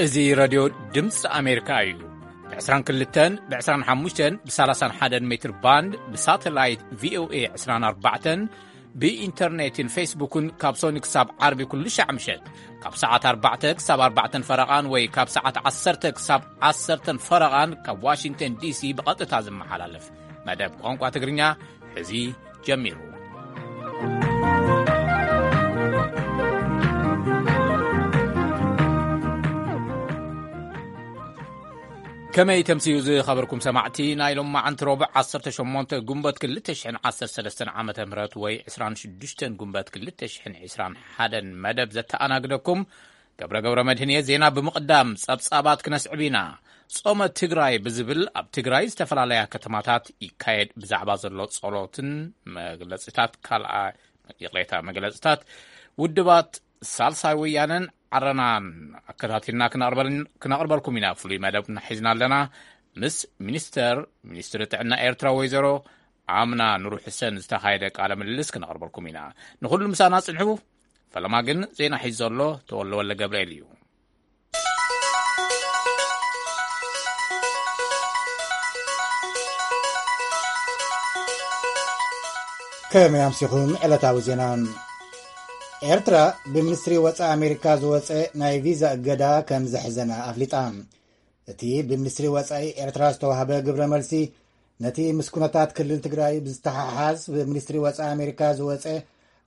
እዚ ረድዮ ድምፂ ኣሜሪካ እዩ። ብ22፣ ብ25፣ ብ31 ሜትር ባንድ፣ ብሳተላይት ቪኦኤ 24፣ ብኢንተርኔትን ፌስቡክን ካብ ሶኒ ክሳብ ዓርቢ ኩሉ ሻዕ ምሸት ካብ ሰዓት ኣርባዕተ ክሳብ ኣርባዕተን ፈረቓን ወይ ካብ ሰዓት ዓሰርተ ክሳብ ዓሰርተን ፈረቓን ካብ ዋሽንግተን ዲሲ ብቐጥታ ዝመሓላለፍ መደብ ቋንቋ ትግርኛ ሕዚ ጀሚሩ። ከመይ ተምስዩ ዝኸበርኩም ሰማዕቲ፣ ናይ ሎማዓንቲ ረቡዕ ዓሰርተ ሸሞንተ ጉንበት ክልተ ሽሕን ዓሰርተ ሰለስተን ዓመተ ምህረት ወይ ዕስራን ሽዱሽተን ጉንበት ክልተ ሽሕን ዕስራን ሓደን መደብ ዘተኣናግደኩም ገብረ ገብረ መድህን እየ። ዜና ብምቕዳም ጸብጻባት ክነስዕብ ኢና። ጾመ ትግራይ ብዝብል ኣብ ትግራይ ዝተፈላለያ ከተማታት ይካየድ ብዛዕባ ዘሎ ጸሎትን መግለጺታት ካልኣ፣ ይቕሬታ፣ መግለጺታት ውድባት ሳልሳይ ወያነን ዓረናን ኣከታቲልና ክነቕርበል-፣ ክነቕርበልኩም ኢና። ፍሉይ መደብ ሒዝና ኣለና። ምስ ሚኒስተር፣ ሚኒስትሪ ጥዕና ኤርትራ ወይዘሮ ኣምና ኑሩ ሕሰን ዝተኻየደ ቃለ ምልልስ ክነቕርበልኩም ኢና። ንኹሉ ምሳና ጽንሑ። ፈለማ ግን ዜና ሒዙ ዘሎ ተወልደ ወልደ ገብርኤል እዩ። ከመይ ኣምሲኹም? ዕለታዊ ዜና። ኤርትራ ብሚኒስትሪ ወጻኢ ኣሜሪካ ዝወጸ ናይ ቪዛ እገዳ ከም ዘሕዘና ኣፍሊጣ። እቲ ብሚኒስትሪ ወጻኢ ኤርትራ ዝተዋህበ ግብረ መልሲ፣ ነቲ ምስ ኩነታት ክልል ትግራይ ብዝተሓሓዝ ብሚኒስትሪ ወጻኢ ኣሜሪካ ዝወጸ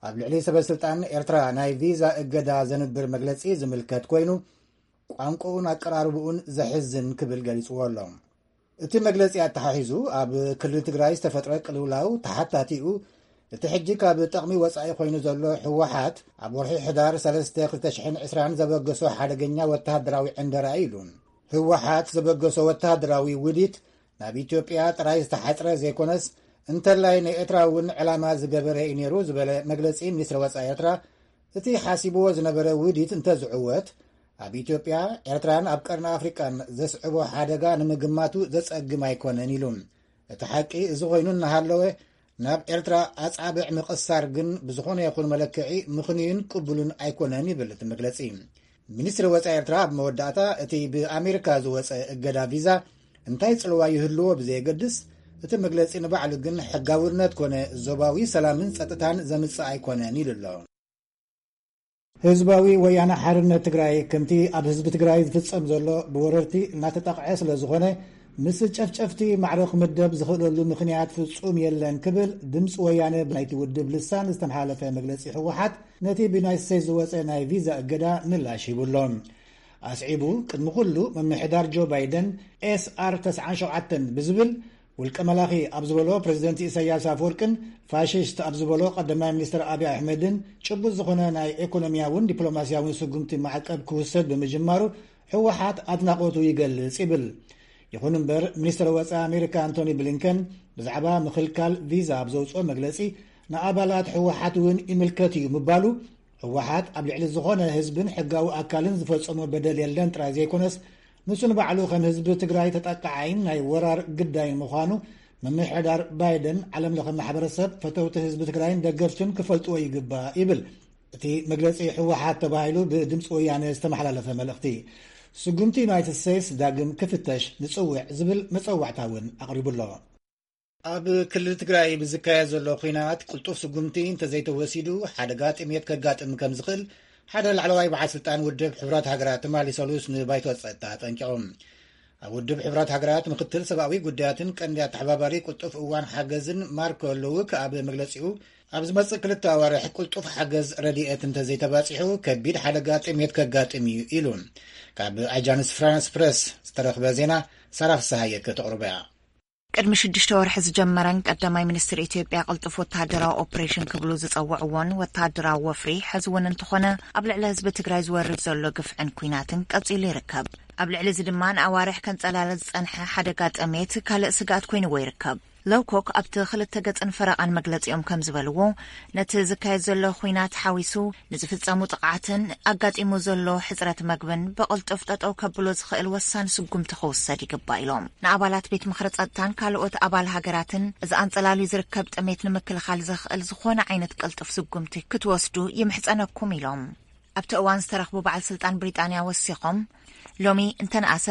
ኣብ ልዕሊ ሰበ ስልጣን ኤርትራ ናይ ቪዛ እገዳ ዘንብር መግለጺ ዝምልከት ኮይኑ፣ ቋንቋኡን ኣቀራርብኡን ዘሕዝን ክብል ገሊጽዎ ኣሎ። እቲ መግለጺ ኣተሓሒዙ፣ ኣብ ክልል ትግራይ ዝተፈጥረ ቅልውላው ተሓታቲኡ፣ እቲ ሕጂ ካብ ጥቕሚ ወጻኢ ኮይኑ ዘሎ ህወሓት ኣብ ወርሒ ሕዳር ሰለስተ ክልተ ሽሕን ዕስራን ዘበገሶ ሓደገኛ ወተሃደራዊ ዕንደራ እዩ ኢሉ። ህወሓት ዘበገሶ ወተሃደራዊ ውዲት ናብ ኢትዮጵያ ጥራይ ዝተሓጽረ ዘይኮነስ፣ እንተላይ ንኤርትራ እውን ዕላማ ዝገበረ እዩ ነይሩ ዝበለ መግለጺ ሚኒስትሪ ወጻኢ ኤርትራ፣ እቲ ሓሲብዎ ዝነበረ ውዲት እንተዝዕወት፣ ኣብ ኢትዮጵያ፣ ኤርትራን ኣብ ቀርኒ ኣፍሪቃን ዘስዕቦ ሓደጋ ንምግማቱ ዘጸግም ኣይኮነን ኢሉ። እቲ ሓቂ እዚ ኮይኑ እናሃለወ፣ ናብ ኤርትራ ኣጻብዕ ምቕሳር ግን ብዝኾነ ይኹን መለክዒ ምኽንዩን ቅቡልን ኣይኮነን ይብል እቲ መግለጺ። ሚኒስትሪ ወጻኢ ኤርትራ ኣብ መወዳእታ፣ እቲ ብኣሜሪካ ዝወጸ እገዳ ቪዛ እንታይ ጽልዋ ይህልዎ ብዘየገድስ፣ እቲ መግለጺ ንባዕሉ ግን ሕጋውነት ኮነ ዞባዊ ሰላምን ጸጥታን ዘምጽእ ኣይኮነን ኢሉ ኣሎ። ህዝባዊ ወያነ ሓርነት ትግራይ፣ ከምቲ ኣብ ህዝቢ ትግራይ ዝፍጸም ዘሎ ብወረርቲ እናተጠቕዐ ስለ ዝኾነ፣ ምስ ጨፍጨፍቲ ማዕረ ክምደብ ዝኽእለሉ ምኽንያት ፍጹም የለን ክብል ድምፂ ወያነ ብናይቲ ውድብ ልሳን ዝተመሓላለፈ መግለጺ ህወሓት ነቲ ብዩናይትድ ስቴትስ ዝወጸ ናይ ቪዛ እገዳ ምላሽ ሂቡ ኣሎ። ኣስዒቡ፣ ቅድሚ ኩሉ ምምሕዳር ጆ ባይደን ኤስ ኣር ተስዓን ሸውዓተን ብዝብል ውልቀ መላኺ ኣብ ዝበሎ ፕሬዚደንት ኢሳያስ ኣፈወርቅን ፋሽስት ኣብ ዝበሎ ቀዳማይ ሚኒስትር ኣብይ ኣሕመድን ጭቡጥ ዝኾነ ናይ ኢኮኖሚያውን ዲፕሎማሲያውን ስጉምቲ ማዕቀብ ክውሰድ ብምጅማሩ ህወሓት ኣድናቖቱ ይገልጽ ይብል። ይኹን እምበር፣ ሚኒስትር ወጻኢ ኣሜሪካ ኣንቶኒ ብሊንከን ብዛዕባ ምኽልካል ቪዛ ኣብ ዘውጽኦ መግለጺ፣ ንኣባላት ህወሓት እውን ይምልከት እዩ ምባሉ፣ ህወሓት ኣብ ልዕሊ ዝኾነ ህዝብን ሕጋዊ ኣካልን ዝፈጸሞ በደል የለን ጥራይ ዘይኮነስ፣ ንሱ ንባዕሉ ከም ህዝቢ ትግራይ ተጠቃዓይን ናይ ወራር ግዳይን ምዃኑ ምምሕዳር ባይደን ዓለም ለኸ ማሕበረሰብ፣ ፈተውቲ ህዝቢ ትግራይን ደገፍቱን ክፈልጥዎ ይግባእ ይብል እቲ መግለጺ ህወሓት ተባሂሉ ብድምፂ ወያነ ዝተመሓላለፈ መልእኽቲ። ስጉምቲ ዩናይትድ ስቴትስ ዳግም ክፍተሽ ንጽውዕ ዝብል መጸዋዕታ እውን ኣቕሪቡ ኣሎ። ኣብ ክልል ትግራይ ብዝካየድ ዘሎ ኲናት ቅልጡፍ ስጉምቲ እንተዘይተወሲዱ፣ ሓደጋ ጥሜት ከጋጥም ከም ዝኽእል ሓደ ላዕለዋይ በዓል ስልጣን ውድብ ሕቡራት ሃገራት ትማሊ ሰሉስ ንባይቶ ጸጥታ ኣጠንቂቖም። ኣብ ውድብ ሕቡራት ሃገራት ምክትል ሰብኣዊ ጉዳያትን ቀንዲ ኣተሓባባሪ ቅልጡፍ እዋን ሓገዝን ማርኮ ሉውክ ኣብ መግለጺኡ፣ ኣብ ዝመጽእ ክልተ ኣዋርሕ ቅልጡፍ ሓገዝ ረድኤት እንተዘይተባጺሑ፣ ከቢድ ሓደጋ ጥሜት ከጋጥም እዩ ኢሉ። ካብ ኣጃንስ ፍራንስ ፕረስ ዝተረኽበ ዜና ሳራ ፍስሃየ ከተቕርቦ እያ። ቅድሚ ሽዱሽተ ወርሒ ዝጀመረን ቀዳማይ ሚኒስትር ኢትዮጵያ ቅልጡፍ ወተሃደራዊ ኦፕሬሽን ክብሉ ዝጸውዕዎን ወተሃደራዊ ወፍሪ፣ ሕዚ እውን እንተኾነ ኣብ ልዕሊ ህዝቢ ትግራይ ዝወርድ ዘሎ ግፍዕን ኲናትን ቀጺሉ ይርከብ። ኣብ ልዕሊ እዚ ድማ ንኣዋርሕ ከንጸላለ ዝጸንሐ ሓደጋ ጥሜት ካልእ ስግኣት ኮይንዎ ይርከብ። ሎውኮክ ኣብቲ ክልተ ገጽን ፈረቓን መግለጺኦም ከም ዝበልዎ፣ ነቲ ዝካየድ ዘሎ ኲናት ሓዊሱ ንዝፍጸሙ ጥቕዓትን ኣጋጢሙ ዘሎ ሕጽረት መግብን ብቕልጡፍ ጠጠው ከብሎ ዝኽእል ወሳኒ ስጉምቲ ክውሰድ ይግባእ ኢሎም። ንኣባላት ቤት ምኽሪ ጸጥታን ካልኦት ኣባል ሃገራትን እዚ ኣንጸላልዩ ዝርከብ ጥሜት ንምክልኻል ዘኽእል ዝኾነ ዓይነት ቅልጡፍ ስጉምቲ ክትወስዱ ይምሕጸነኩም ኢሎም። ኣብቲ እዋን ዝተረኽቡ በዓል ስልጣን ብሪጣንያ ወሲኾም፣ ሎሚ እንተነኣሰ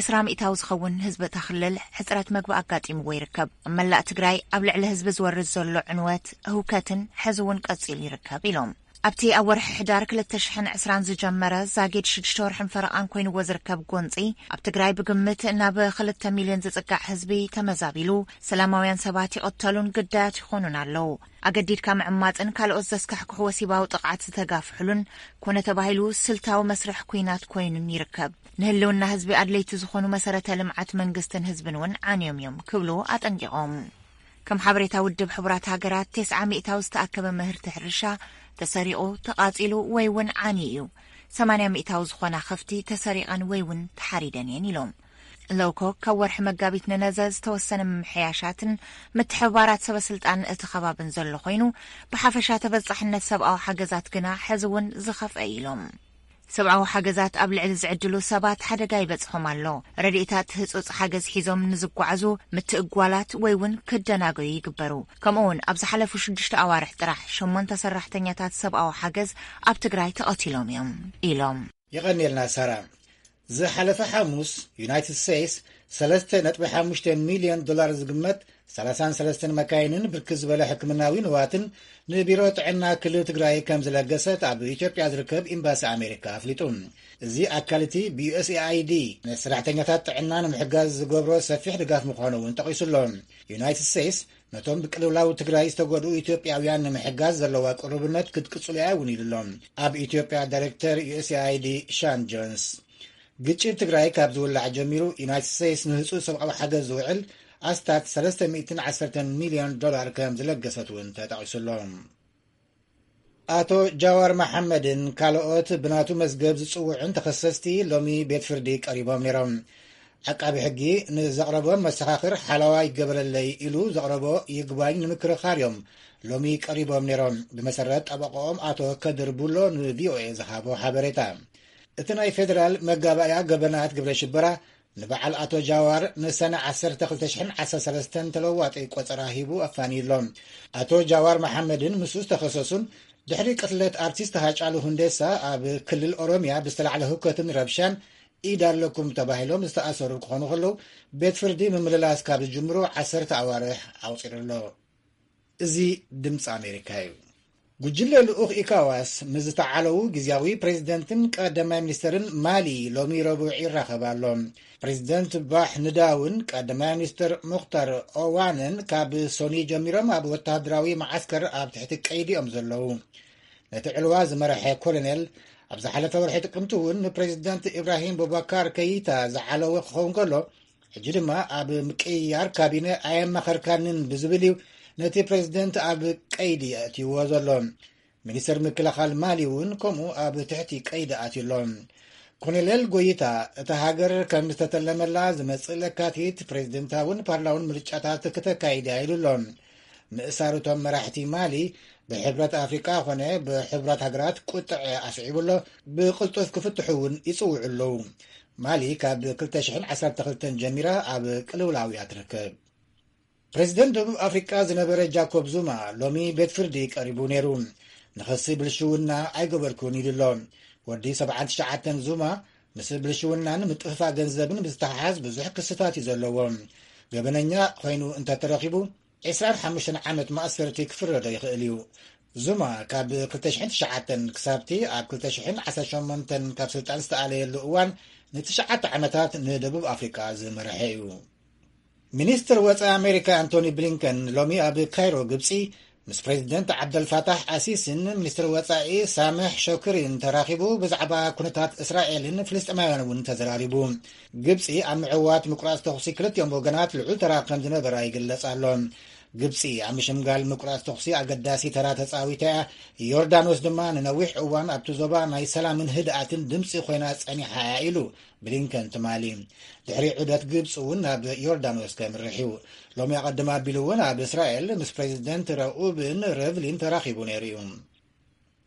ዕስራ ሚእታዊ ዝኸውን ህዝቢ እታ ክልል ሕፅረት መግቢ ኣጋጢምዎ ይርከብ። ኣብ መላእ ትግራይ ኣብ ልዕሊ ህዝቢ ዝወርድ ዘሎ ዕንወት፣ ህውከትን ሕዚ እውን ቀፂሉ ይርከብ ኢሎም። ኣብቲ ኣብ ወርሒ ሕዳር ክልተ ሽሕን ዕስራን ዝጀመረ ዛጊድ ሽዱሽተ ወርሕን ፈረቓን ኮይንዎ ዝርከብ ጎንፂ፣ ኣብ ትግራይ ብግምት ናብ ክልተ ሚልዮን ዝፅጋዕ ህዝቢ ተመዛቢሉ፣ ሰላማውያን ሰባት ይቕተሉን ግዳያት ይኾኑን ኣለዉ። ኣገዲድካ ምዕማፅን ካልኦት ዘስካሕክሑ ወሲባዊ ጥቕዓት ዝተጋፍሑሉን ኮነ ተባሂሉ ስልታዊ መስርሕ ኲናት ኮይኑን ይርከብ። ንህልውና ህዝቢ ኣድለይቲ ዝኾኑ መሰረተ ልምዓት መንግስትን ህዝብን እውን ዓንዮም እዮም ክብሉ ኣጠንቂቖም። ከም ሓበሬታ ውድብ ሕቡራት ሃገራት፣ ተስዓ ሚእታዊ ዝተኣከበ ምህርቲ ሕርሻ ተሰሪቑ፣ ተቓጺሉ ወይ እውን ዓንዩ እዩ። ሰማንያ ሚእታዊ ዝኾና ከፍቲ ተሰሪቐን ወይ እውን ተሓሪደን እየን ኢሎም። ሎውኮክ ካብ ወርሒ መጋቢት ንነዘ ዝተወሰነ ምምሕያሻትን ምትሕብባራት ሰበ ስልጣን እቲ ከባብን ዘሎ ኮይኑ፣ ብሓፈሻ ተበጻሕነት ሰብኣዊ ሓገዛት ግና ሕዚ እውን ዝኸፍአ እዩ ኢሎም። ሰብኣዊ ሓገዛት ኣብ ልዕሊ ዝዕድሉ ሰባት ሓደጋ ይበጽሖም ኣሎ። ረድኤታት ህጹጽ ሓገዝ ሒዞም ንዝጓዓዙ ምትእጓላት ወይ እውን ክደናገዩ ይግበሩ። ከምኡ እውን ኣብ ዝሓለፉ ሽዱሽተ ኣዋርሕ ጥራሕ ሸሞንተ ሰራሕተኛታት ሰብኣዊ ሓገዝ ኣብ ትግራይ ተቐቲሎም እዮም ኢሎም። የቐንየልና ሳራ። ዝሓለፈ ሓሙስ ዩናይትድ ስቴትስ ሰለስተ ነጥቢ ሓሙሽተ ሚልዮን ዶላር ዝግመት ሰላሳን ሰለስተን መካይንን ብርክት ዝበለ ሕክምናዊ ንዋትን ንቢሮ ጥዕና ክልል ትግራይ ከም ዝለገሰት ኣብ ኢትዮጵያ ዝርከብ ኤምባሲ ኣሜሪካ ኣፍሊጡ። እዚ ኣካል እቲ ብዩኤስኤኣይዲ ንሰራሕተኛታት ጥዕና ንምሕጋዝ ዝገብሮ ሰፊሕ ድጋፍ ምዃኑ እውን ጠቒሱ ኣሎ። ዩናይትድ ስቴትስ ነቶም ብቅልውላው ትግራይ ዝተጎድኡ ኢትዮጵያውያን ንምሕጋዝ ዘለዋ ቅሩብነት ክትቅጽሉ እያ እውን ኢሉ ኣሎ ኣብ ኢትዮጵያ ዳይሬክተር ዩኤስኤኣይዲ ሻን ጆንስ። ግጭት ትግራይ ካብ ዝውላዕ ጀሚሩ ዩናይትድ ስቴትስ ንህጹጽ ሰብኣዊ ሓገዝ ዝውዕል ኣስታት ሰለስተ ሚእትን ዓሰርተን ሚልዮን ዶላር ከም ዝለገሰት እውን ተጠቒሱ ኣሎ። ኣቶ ጃዋር መሓመድን ካልኦት ብናቱ መዝገብ ዝጽውዑን ተኸሰስቲ ሎሚ ቤት ፍርዲ ቀሪቦም ነይሮም። ዓቃቢ ሕጊ ንዘቕረቦ መሰኻኽር ሓለዋ ይገበረለይ ኢሉ ዘቕረቦ ይግባኝ ንምክርኻር እዮም ሎሚ ቀሪቦም ነይሮም። ብመሰረት ጠበቆኦም ኣቶ ከድር ቡሎ ንቪኦኤ ዝሃቦ ሓበሬታ፣ እቲ ናይ ፌደራል መጋባእያ ገበናት ግብረ ሽበራ ንበዓል ኣቶ ጃዋር ንሰነ ዓሰርተ ክልተ ሽሕን ዓሰርተ ሰለስተን ተለዋጢ ቆጸራ ሂቡ ኣፋንዩ ኣሎ። ኣቶ ጃዋር መሓመድን ምስኡ ዝተኸሰሱን ድሕሪ ቅትለት ኣርቲስት ሃጫሉ ሁንዴሳ ኣብ ክልል ኦሮሚያ ብዝተላዕለ ህውከትን ረብሻን ኢድ ኣለኩም ተባሂሎም ዝተኣሰሩ ክኾኑ ከለዉ፣ ቤት ፍርዲ ምምልላስ ካብ ዝጅምሩ ዓሰርተ ኣዋርሕ ኣቑጺሩ ኣሎ። እዚ ድምፂ ኣሜሪካ እዩ። ጉጅለ ልኡኽ ኢካዋስ ምስ ዝተዓለዉ ግዝያዊ ፕሬዚደንትን ቀዳማይ ሚኒስተርን ማሊ ሎሚ ረቡዕ ይራኸብ ኣሎ። ፕሬዚደንት ባሕ ንዳውን ቀዳማይ ሚኒስተር ሙኽታር ኦዋንን ካብ ሶኒ ጀሚሮም ኣብ ወተሃደራዊ መዓስከር ኣብ ትሕቲ ቀይዲ እዮም ዘለዉ። ነቲ ዕልዋ ዝመርሐ ኮሎኔል ኣብ ዝሓለፈ ወርሒ ጥቅምቲ እውን ንፕሬዚደንት ኢብራሂም ቡባካር ከይታ ዝዓለወ ክኸውን ከሎ፣ ሕጂ ድማ ኣብ ምቅይያር ካቢነ ኣየማኸርካንን ብዝብል እዩ ነቲ ፕሬዚደንት ኣብ ቀይዲ ኣእትይዎ ዘሎ። ሚኒስተር ምክልኻል ማሊ እውን ከምኡ ኣብ ትሕቲ ቀይዲ ኣትዩ ኣሎ። ኮሎኔል ጎይታ፣ እታ ሃገር ከም ዝተተለመላ ዝመጽእ ለካቲት ፕሬዚደንታውን ፓርላውን ምርጫታት ክተካይድ እያ ኢሉ ኣሎ። ምእሳር እቶም መራሕቲ ማሊ ብሕብረት ኣፍሪቃ ኮነ ብሕቡራት ሃገራት ቁጥዐ ኣስዒቡ ኣሎ። ብቕልጡፍ ክፍትሑ እውን ይጽውዑ ኣለዉ። ማሊ ካብ ክልተ ሽሕን ዓሰርተ ክልተን ጀሚራ ኣብ ቅልውላው እያ ትርከብ። ፕሬዚደንት ደቡብ ኣፍሪቃ ዝነበረ ጃኮብ ዙማ ሎሚ ቤት ፍርዲ ቀሪቡ ነይሩ። ንኸሲ ብልሽውና ኣይገበርኩን ኢሉ ኣሎ። ወዲ ሰብዓን ትሽዓተን ዙማ ምስ ብልሽውናን ምጥፍፋእ ገንዘብን ብዝተሓሓዝ ብዙሕ ክስታት እዩ ዘለዎ። ገበነኛ ኮይኑ እንተተረኺቡ ዕስራን ሓሙሽተን ዓመት ማእሰርቲ ክፍረዶ ይኽእል እዩ። ዙማ ካብ ክልተ ሽሕን ትሽዓተን ክሳብቲ ኣብ ክልተ ሽሕን ዓሰርተ ሸሞንተን ካብ ስልጣን ዝተኣለየሉ እዋን ንትሽዓተ ዓመታት ንደቡብ ኣፍሪቃ ዝመርሐ እዩ። ሚኒስትር ወጻኢ ኣሜሪካ ኣንቶኒ ብሊንከን ሎሚ ኣብ ካይሮ ግብጺ ምስ ፕሬዚደንት ዓብደልፋታሕ ኣሲሲን ሚኒስትር ወጻኢ ሳምሕ ሾክሪን ተራኺቡ ብዛዕባ ኩነታት እስራኤልን ፍልስጤማውያን እውን ተዘራሪቡ። ግብጺ ኣብ ምዕዋት ምቁራጽ ተኹሲ ክልቲኦም ወገናት ልዑል ተራ ከም ዝነበራ ይግለጽ ኣሎ። ግብጺ ኣብ ምሽምጋል ምቁራጽ ተኹሲ ኣገዳሲ ተራ ተጻዊታ እያ። ዮርዳኖስ ድማ ንነዊሕ እዋን ኣብቲ ዞባ ናይ ሰላምን ህድኣትን ድምጺ ኮይና ጸኒሓ እያ ኢሉ ብሊንከን ትማሊ። ድሕሪ ዑደት ግብጺ እውን ናብ ዮርዳኖስ ከምርሕ እዩ። ሎሚ ኣቐድም ኣቢሉ እውን ኣብ እስራኤል ምስ ፕሬዚደንት ረኡብን ረቭሊን ተራኺቡ ነይሩ እዩ።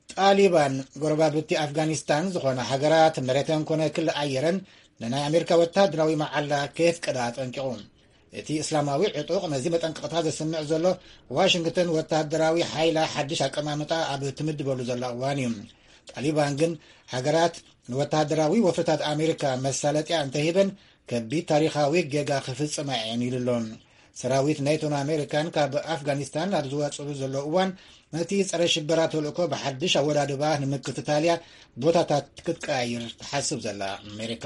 ጣሊባን ጎረባብቲ ኣፍጋኒስታን ዝኾና ሃገራት መሬተን ኮነ ክሊ ኣየረን ንናይ ኣሜሪካ ወታደራዊ መዓላ ከየፍቀዳ ኣጠንቂቑ። እቲ እስላማዊ ዕጡቕ ነዚ መጠንቀቕታ ዘስምዕ ዘሎ ዋሽንግተን ወታደራዊ ሓይላ ሓድሽ ኣቀማምጣ ኣብ ትምድበሉ ዘላ እዋን እዩ። ጣሊባን ግን፣ ሃገራት ንወተሃደራዊ ወፍርታት ኣሜሪካ መሳለጥያ እንተሂበን፣ ከቢድ ታሪኻዊ ጌጋ ክፍጽማ እየን ኢሉ ኣሎ። ሰራዊት ናይቶን ኣሜሪካን ካብ ኣፍጋኒስታን ኣብ ዝወጽሉ ዘሎ እዋን፣ ነቲ ጸረ ሽበራ ተልእኮ ብሓድሽ ኣወዳድባ ንምክትታልያ ቦታታት ክትቀያይር ትሓስብ ዘላ ኣሜሪካ።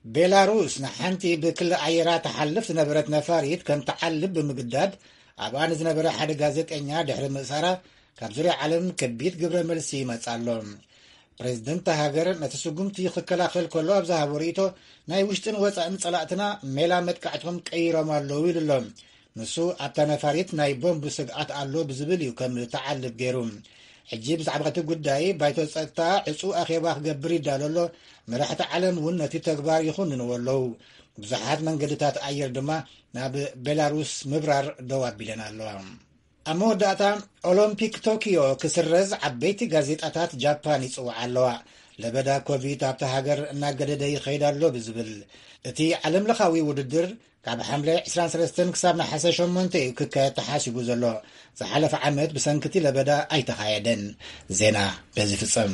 ቤላሩስ ንሓንቲ ብክሊ ኣየራ ትሓልፍ ዝነበረት ነፋሪት ከም ትዓልብ ብምግዳድ፣ ኣብኣ ንዝነበረ ሓደ ጋዜጠኛ ድሕሪ ምእሳራ፣ ካብ ዙርያ ዓለም ከቢድ ግብረ መልሲ ይመጽእ ኣሎ። ፕሬዝደንት ሃገር ነቲ ስጉምቲ ክከላኸል ከሎ ኣብ ዝሃቦ ርእይቶ፣ ናይ ውሽጥን ወጻእን ጸላእትና ሜላ መጥቃዕቶም ቀይሮም ኣለዉ ኢሉ ኣሎ። ንሱ ኣብታ ነፋሪት ናይ ቦምብ ስግኣት ኣሎ ብዝብል እዩ ከም ተዓልብ ገይሩ። ሕጂ ብዛዕባ እቲ ጉዳይ ባይቶ ጸጥታ ዕጹ ኣኼባ ክገብር ይዳሎ ኣሎ። መራሕቲ ዓለም እውን ነቲ ተግባር ይኹንንዎ ኣለዉ። ብዙሓት መንገድታት ኣየር ድማ ናብ ቤላሩስ ምብራር ደው ኣቢለን ኣለዋ። ኣብ መወዳእታ፣ ኦሎምፒክ ቶኪዮ ክስረዝ ዓበይቲ ጋዜጣታት ጃፓን ይጽውዓ ኣለዋ። ለበዳ ኮቪድ ኣብታ ሃገር እናገደደ ይኸይድ ኣሎ ብዝብል፣ እቲ ዓለምለኻዊ ውድድር ካብ ሓምለ ዕስራን ሰለስተን ክሳብ ነሓሰ ሸሞንተ እዩ ክካየድ ተሓሲቡ ዘሎ። ዝሓለፈ ዓመት ብሰንክቲ ለበዳ ኣይተኻየደን። ዜና በዚ ፍጸም።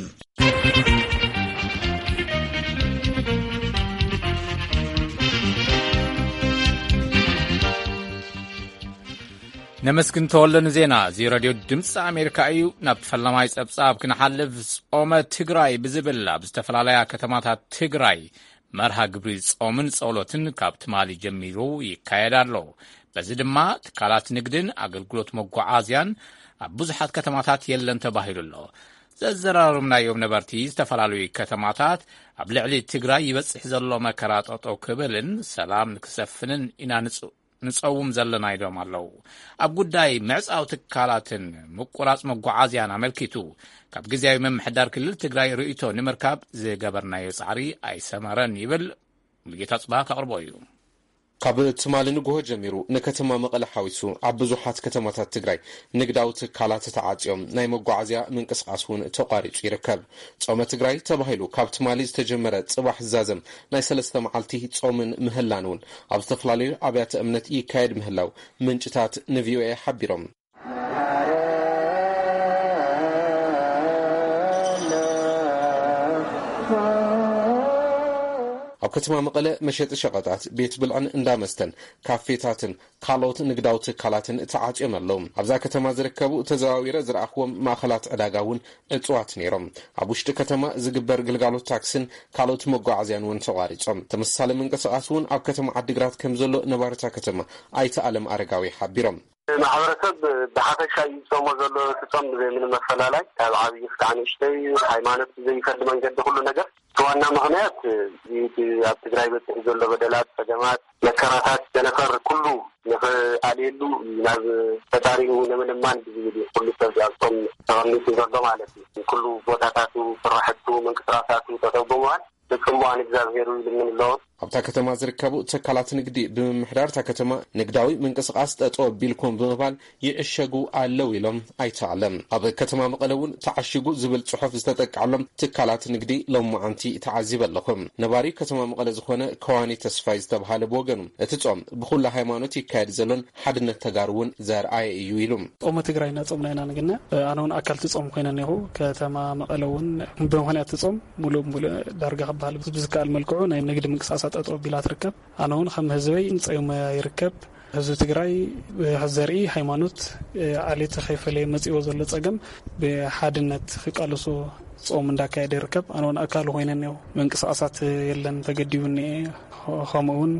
ነመስግን ተወልደ ንዜና። እዚ ሬድዮ ድምፂ ኣሜሪካ እዩ። ናብ ፈላማይ ፀብፃብ ክንሓልፍ፣ ጾመ ትግራይ ብዝብል ኣብ ዝተፈላለያ ከተማታት ትግራይ መርሃ ግብሪ ጾምን ጸሎትን ካብ ትማሊ ጀሚሩ ይካየድ ኣሎ። በዚ ድማ ትካላት ንግድን ኣገልግሎት መጓዓዝያን ኣብ ብዙሓት ከተማታት የለን ተባሂሉ ኣሎ። ዘዘራረብናዮም ነበርቲ ዝተፈላለዩ ከተማታት ኣብ ልዕሊ ትግራይ ይበጽሕ ዘሎ መከራ ጠጠው ክብልን ሰላም ንክሰፍንን ኢና ንጽ-፣ ንጸውም ዘለና ኢሎም ኣለዉ። ኣብ ጉዳይ ምዕጻው ትካላትን ምቁራጽ መጓዓዝያን ኣመልኪቱ ካብ ግዝያዊ ምምሕዳር ክልል ትግራይ ርእይቶ ንምርካብ ዝገበርናዮ ጻዕሪ ኣይሰመረን ይብል። ሙሉጌታ ጽባህ ከቕርቦ እዩ። ካብ ትማሊ ንግሆ ጀሚሩ ንከተማ መቐለ ሓዊሱ ኣብ ብዙሓት ከተማታት ትግራይ ንግዳዊ ትካላት ተዓጽዮም፣ ናይ መጓዓዝያ ምንቅስቓስ እውን ተቋሪጹ ይርከብ። ጾመ ትግራይ ተባሂሉ ካብ ትማሊ ዝተጀመረ ጽባሕ ዝዛዘም ናይ ሰለስተ መዓልቲ ጾምን ምህላን እውን ኣብ ዝተፈላለዩ ኣብያተ እምነት ይካየድ ምህላው ምንጭታት ንቪኦኤ ሓቢሮም። ኣብ ከተማ መቐለ መሸጢ ሸቐጣት፣ ቤት ብልዕን እንዳ መስተን፣ ካፌታትን ካልኦት ንግዳዊ ትካላትን ተዓጽዮም ኣለዉ። ኣብዛ ከተማ ዝርከቡ ተዘዋዊረ ዝረኣኽዎም ማእኸላት ዕዳጋ እውን ዕጹዋት ነይሮም። ኣብ ውሽጢ ከተማ ዝግበር ግልጋሎት ታክስን ካልኦት መጓዓዝያን እውን ተቋሪጾም። ተመሳሳሊ ምንቅስቓስ እውን ኣብ ከተማ ዓዲግራት ከም ዘሎ ነባሪት እታ ከተማ ኣይተ ኣለም ኣረጋዊ ሓቢሮም። ማሕበረሰብ ብሓፈሻ እዩ ዝጾሞ ዘሎ፣ እቲ ጾም ብዘይ ምንም ኣፈላላይ ካብ ዓብዪ ክሳዕ ንእሽተይ፣ ሃይማኖት ብዘይፈሊ መንገዲ ኩሉ ነገር። እቲ ዋና ምኽንያት እዚ እቲ ኣብ ትግራይ በፂሑ ዘሎ በደላት፣ ፀገማት፣ መከራታት፣ ጨነፈር ኩሉ ንኽኣልየሉ ናብ ፈጣሪኡ ንምልማን ብዝብል እዩ ኩሉ ሰብ ኣብ ጾም ተቐሚጡ ዘሎ ማለት እዩ። ኩሉ ቦታታቱ፣ ስራሕቱ፣ ምንቅስቃሳቱ ጠጠው ብምባል ብጽምዋ ንእግዚኣብሔር ይልምን ኣሎ። ኣብታ ከተማ ዝርከቡ ትካላት ንግዲ ብምምሕዳር እታ ከተማ ንግዳዊ ምንቅስቃስ ጠጠው ኣቢልኩም ብምባል ይዕሸጉ ኣለዉ ኢሎም ኣይተ ኣለም። ኣብ ከተማ መቐለ እውን ተዓሺጉ ዝብል ጽሑፍ ዝተጠቅዐሎም ትካላት ንግዲ ሎማዓንቲ ተዓዚበ ኣለኹ። ነባሪ ከተማ መቐለ ዝኾነ ከዋኒ ተስፋይ ዝተብሃለ ብወገኑ፣ እቲ ጾም ብኹሉ ሃይማኖት ይካየድ ዘሎን ሓድነት ተጋሩ እውን ዘርኣየ እዩ ኢሉ። ጾመ ትግራይ እናጾምና ኢና ንግነ። ኣነ እውን ኣካል እቲ ጾም ኮይነ እኒኹ። ከተማ መቐለ እውን ብምኽንያት እቲ ጾም ሙሉእ ሙሉእ ዳርጋ ክበሃል ብዝከኣል መልክዑ ናይ ንግዲ ምንቅስቃሳት ጠጠው ኣቢላ ትርከብ። ኣነ እውን ከም ህዝበይ ጸይመ ይርከብ። ህዝቢ ትግራይ ብዘርኢ ሃይማኖት፣ ዓሌት ከይፈለየ መጺዎ ዘሎ ጸገም ብሓድነት ክቃለሶ ጾም እንዳካየደ ይርከብ። ኣነ እውን ኣካል ኮይነ እኒኦ። ምንቅስቃሳት የለን፣ ተገዲቡ እኒኤ። ከምኡ እውን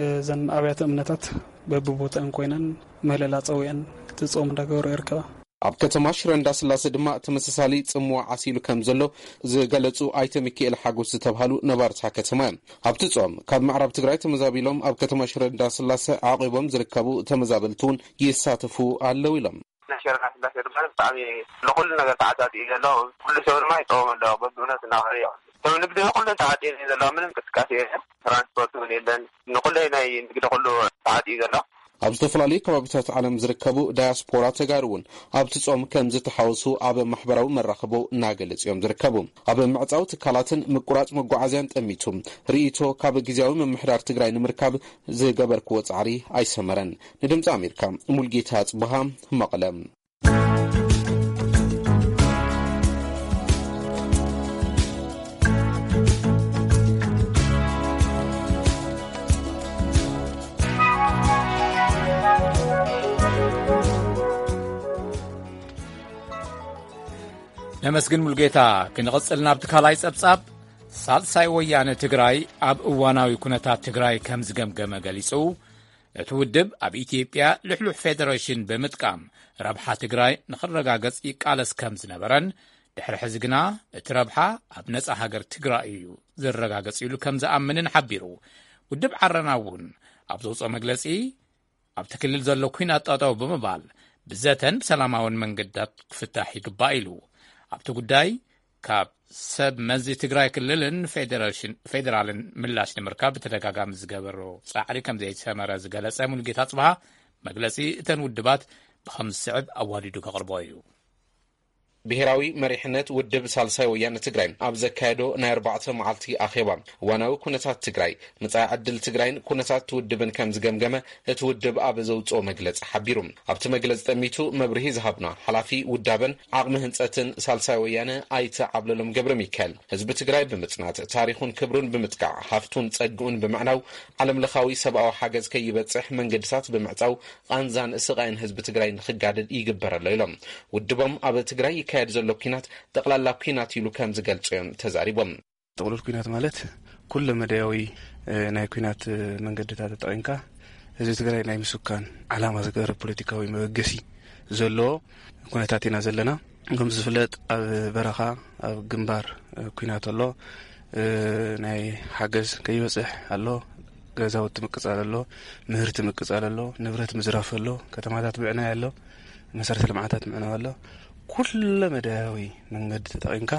እዘን ኣብያተ እምነታት በብቦተአን ኮይነን ምህለላ ጸዊዐን እቲ ጾም እንዳገበሩ ይርከባ። ኣብ ከተማ ሽረ እንዳስላሴ ድማ ተመሳሳሊ ጽምዋ ዓሲሉ ከም ዘሎ ዝገለጹ ኣይተ ሚካኤል ሓጎስ ዝተብሃሉ ነባርታ ከተማ እዮም። ኣብቲ ጾም ካብ ምዕራብ ትግራይ ተመዛቢሎም ኣብ ከተማ ሽረ እንዳስላሴ ዓቂቦም ዝርከቡ ተመዛበልቲ እውን ይሳተፉ ኣለዉ ኢሎም። ናይ ሽረ እንዳስላሴ ድማ ብጣዕሚ ንኹሉ ነገር ተዓጻጺ እዩ ዘሎ። ኩሉ ሰብ ድማ ይጸወም ኣሎ። በብእውነት እናኸደ እዩ። ሰብ ንግዲ ኩሉ ተዓጺዩ እዩ ዘሎ። ምንም እንቅስቃሴ የለን። ትራንስፖርት እውን የለን። ንኹሉ ናይ ንግዲ ኩሉ ተዓጺዩ ዘሎ። ኣብ ዝተፈላለዩ ከባቢታት ዓለም ዝርከቡ ዳያስፖራ ተጋሩ እውን ኣብቲ ጾም ከም ዝተሓወሱ ኣብ ማሕበራዊ መራኸቦ እናገለጹ እዮም ዝርከቡ። ኣብ ምዕጻው ትካላትን ምቁራጽ መጓዓዝያን ጠሚቱ ርእይቶ ካብ ግዝያዊ ምምሕዳር ትግራይ ንምርካብ ዝገበርክዎ ጻዕሪ ኣይሰመረን። ንድምጺ ኣሜሪካ ሙልጌታ ጽብሃ መቐለ። መስግን ሙልጌታ። ክንቕጽል ናብቲ ካልኣይ ጸብጻብ። ሳልሳይ ወያነ ትግራይ ኣብ እዋናዊ ኩነታት ትግራይ ከም ዝገምገመ ገሊጹ። እቲ ውድብ ኣብ ኢትዮጵያ ልሕሉሕ ፌደሬሽን ብምጥቃም ረብሓ ትግራይ ንኽረጋገጽ ይቃለስ ከም ዝነበረን፣ ድሕሪ ሕዚ ግና እቲ ረብሓ ኣብ ነጻ ሃገር ትግራይ እዩ ዝረጋገጽ ኢሉ ከም ዝኣምንን ሓቢሩ። ውድብ ዓረና እውን ኣብ ዘውፅኦ መግለጺ፣ ኣብቲ ክልል ዘሎ ኲናት ጠጠው ብምባል ብዘተን ብሰላማውን መንገድታት ክፍታሕ ይግባእ ኢሉ። ኣብቲ ጉዳይ ካብ ሰብ መዚ ትግራይ ክልልን ፌደራሽን-፣ ፌደራልን ምላሽ ንምርካብ ብተደጋጋሚ ዝገበሮ ጻዕሪ ከም ዘይሰመረ ዝገለጸ ሙሉጌታ ጽብሃ፣ መግለጺ እተን ውድባት ብኸም ዝስዕብ ኣዋዲዱ ከቕርቦ እዩ። ብሔራዊ መሪሕነት ውድብ ሳልሳይ ወያነ ትግራይ ኣብ ዘካየዶ ናይ ኣርባዕተ መዓልቲ ኣኼባ፣ እዋናዊ ኩነታት ትግራይ፣ መጻኢ ዕድል ትግራይን ኩነታት እቲ ውድብን ከም ዝገምገመ እቲ ውድብ ኣብ ዘውጽኦ መግለጺ ሓቢሩ። ኣብቲ መግለጺ ጠሚቱ መብርሂ ዝሃብና ሓላፊ ውዳበን ዓቕሚ ህንጸትን ሳልሳይ ወያነ ኣይተ ዓብለሎም ገብረ ሚካኤል፣ ህዝቢ ትግራይ ብምጽናት፣ ታሪኹን ክብሩን ብምጥቃዕ፣ ሃፍቱን ጸግኡን ብምዕናው፣ ዓለምለኻዊ ሰብኣዊ ሓገዝ ከይበጽሕ መንገድታት ብምዕጻው፣ ቃንዛን ስቓይን ህዝቢ ትግራይ ንኽጋደድ ይግበር ኣሎ ኢሎም። ውድቦም ኣብ ትግራይ ይካየድ ዘሎ ኲናት ጠቕላላ ኲናት ኢሉ ከም ዝገልጾ እዮም ተዛሪቦም። ጥቕሉል ኲናት ማለት ኩለ መዳያዊ፣ እ፣ ናይ ኲናት፣ እ፣ መንገድታት ተጠቒምካ ህዝቢ ትግራይ ናይ ምስካን ዓላማ ዝገበረ ፖለቲካዊ መበገሲ ዘለዎ ኩነታት ኢና ዘለና። ከም ዝፍለጥ ኣብ በረኻ፣ ኣብ ግንባር፣ እ፣ ኲናት ኣሎ። እ፣ ናይ ሓገዝ ከይበጽሕ ኣሎ። ገዛውቲ ምቅጻል ኣሎ። ምህርቲ ምቅጻል ኣሎ። ንብረት ምዝራፍ ኣሎ። ከተማታት ምዕናይ ኣሎ። መሰረተ ልምዓታት ምዕናው ኣሎ። ኩለ መዳያዊ መንገዲ ተጠቒምካ፣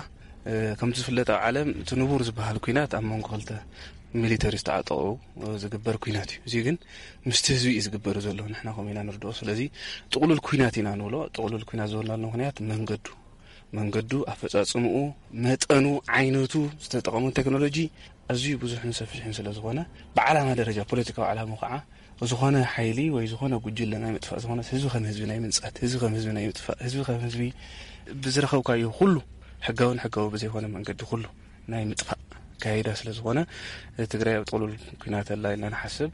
እ፣ ከምቲ ዝፍለጥ ኣብ ዓለም እቲ ንቡር ዝበሃል ኲናት ኣብ መንጎ ክልተ ሚሊተሪ ዝተዓጠቑ፣ እ፣ ዝግበር ኲናት እዩ። እዚ ግን ምስቲ ህዝቢ እዩ ዝግበር ዘሎ። ንሕና ከምኡ ኢና ንርድኦ። ስለዚ ጥቕሉል ኲናት ኢና ንብሎ። ጥቕሉል ኲናት ዝበልናሉ ምኽንያት መንገዱ፣ መንገዱ፣ ኣፈጻጽምኡ፣ መጠኑ፣ ዓይነቱ፣ ዝተጠቐሙ ቴክኖሎጂ ኣዝዩ ብዙሕን ሰፊሕን ስለ ዝኾነ፣ ብዓላማ ደረጃ፣ ፖለቲካዊ ዓላማ ከዓ ዝኾነ ሓይሊ ወይ ዝኾነ ጉጅለ ናይ ምጥፋእ ዝኾነ፣ ህዝቢ ከም ህዝቢ ናይ ምንጻት፣ ህዝቢ ከም ህዝቢ ናይ ምጥፋእ፣ ህዝቢ ከም ህዝቢ ብዝረኸብካዮ ኩሉ፣ ሕጋውን ሕጋዊ ብዘይኮነ መንገዲ ኩሉ ናይ ምጥፋእ ኣካይዳ ስለ ዝኾነ፣ ትግራይ ኣብ ጥቕሉል ኲናት ኣላ ኢልና ንሓስብ።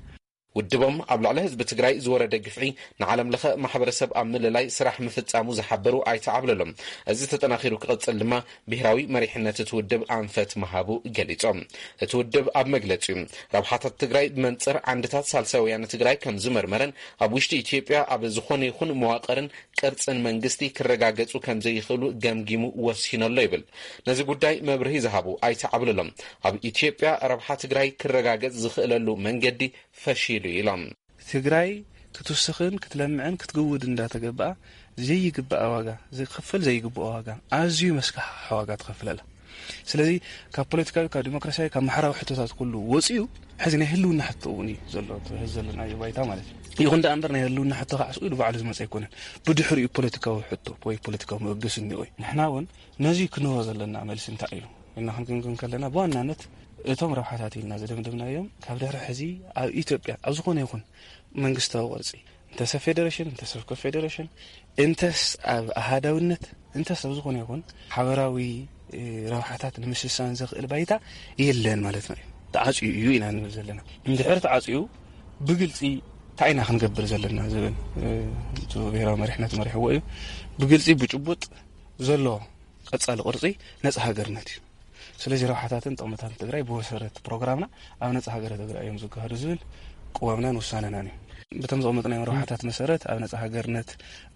ውድቦም ኣብ ልዕሊ ህዝቢ ትግራይ ዝወረደ ግፍዒ ንዓለም ለኸ ማሕበረሰብ ኣብ ምልላይ ስራሕ ምፍጻሙ ዝሓበሩ ኣይተ ዓብለሎም፣ እዚ ተጠናኺሩ ክቕጽል ድማ ብሄራዊ መሪሕነት እቲ ውድብ ኣንፈት ምሃቡ ገሊጾም። እቲ ውድብ ኣብ መግለጺኡ፣ ረብሓታት ትግራይ ብመንጽር ዓንድታት ሳልሳይ ወያነ ትግራይ ከም ዝመርመረን፣ ኣብ ውሽጢ ኢትዮጵያ ኣብ ዝኾነ ይኹን መዋቕርን ቅርጽን መንግስቲ ክረጋገጹ ከም ዘይኽእሉ ገምጊሙ ወሲኑ ኣሎ ይብል። ነዚ ጉዳይ መብርሂ ዝሃቡ ኣይተ ዓብለሎም፣ ኣብ ኢትዮጵያ ረብሓ ትግራይ ክረጋገጽ ዝኽእለሉ መንገዲ ፈሺሉ ኢሎም። ትግራይ ክትውስኽን ክትለምዕን ክትግውድ እንዳተገበኣ ዘይግባኣ ዋጋ፣ ዝኽፈል ዘይግብኦ ዋጋ፣ ኣዝዩ መስካሕክሒ ዋጋ ትኸፍል ኣላ። ስለዚ ካብ ፖለቲካዊ፣ ካብ ዲሞክራሲያዊ፣ ካብ ማሕበራዊ ሕቶታት ኩሉ ወፂኡ፣ ሕዚ ናይ ህልውና ሕቶ እውን እዩ ዘሎ፣ እቲ ሕዚ ዘለናዮ ባይታ ማለት እዩ። ይኹን ደኣ እምበር ናይ ህልውና ሕቶ ከዓ ስኡ ኢሉ ባዕሉ ዝመፀ ኣይኮነን። ብድሕሪኡ ፖለቲካዊ ሕቶ ወይ ፖለቲካዊ መበገሲ እኒኦ እዩ። ንሕና እውን ነዚ ክንህቦ ዘለና መልሲ እንታይ እዩ ኢልና ክንግምግም ከለና፣ ብዋናነት እቶም ረብሓታት ኢልና ዝደምደምናዮም ካብ ድሕሪ ሕዚ ኣብ ኢትዮጵያ ኣብ ዝኾነ ይኹን መንግስታዊ ቅርጺ፣ እንተስ ፌደሬሽን፣ እንተስ ኮንፌደሬሽን፣ እንተስ ኣብ ኣሃዳውነት፣ እንተስ ኣብ ዝኾነ ይኹን ሓበራዊ፣ እ፣ ረብሓታት ንምስሳን ዘኽእል ባይታ የለን ማለትና እዩ። ተዓጽዩ እዩ ኢና ንብል ዘለና። እንድሕር ተዓጽዩ ብግልጺ እንታይ ኢና ክንገብር ዘለና ዝብል፣ እ፣ እቲ ብሄራዊ መሪሕነት መሪሕዎ እዩ። ብግልጺ ብጭቡጥ ዘሎ ቀጻሊ ቅርጺ ነጻ ሃገርነት እዩ። ስለዚ ረብሓታትን ጥቕምታትን ትግራይ ብመሰረት ፕሮግራምና ኣብ ነጻ ሃገረ ትግራይ እዮም ዝገሃዱ ዝብል ቅዋምናን ውሳነናን እዩ። በቶም ዘቐመጥናዮም ረብሓታት መሰረት ኣብ ነጻ ሃገርነት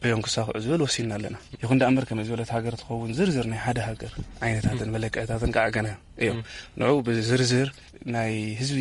እዮም ክሳኽዑ ዝብል ወሲንና ኣለና። ይኹን ደኣ እምበር ከመይ ዝበለት ሃገር ትኸውን ዝርዝር ናይ ሓደ ሃገር ዓይነታትን መለክዕታትን ከዓ ገና እዮም። ንዑ ብዝርዝር ናይ ህዝቢ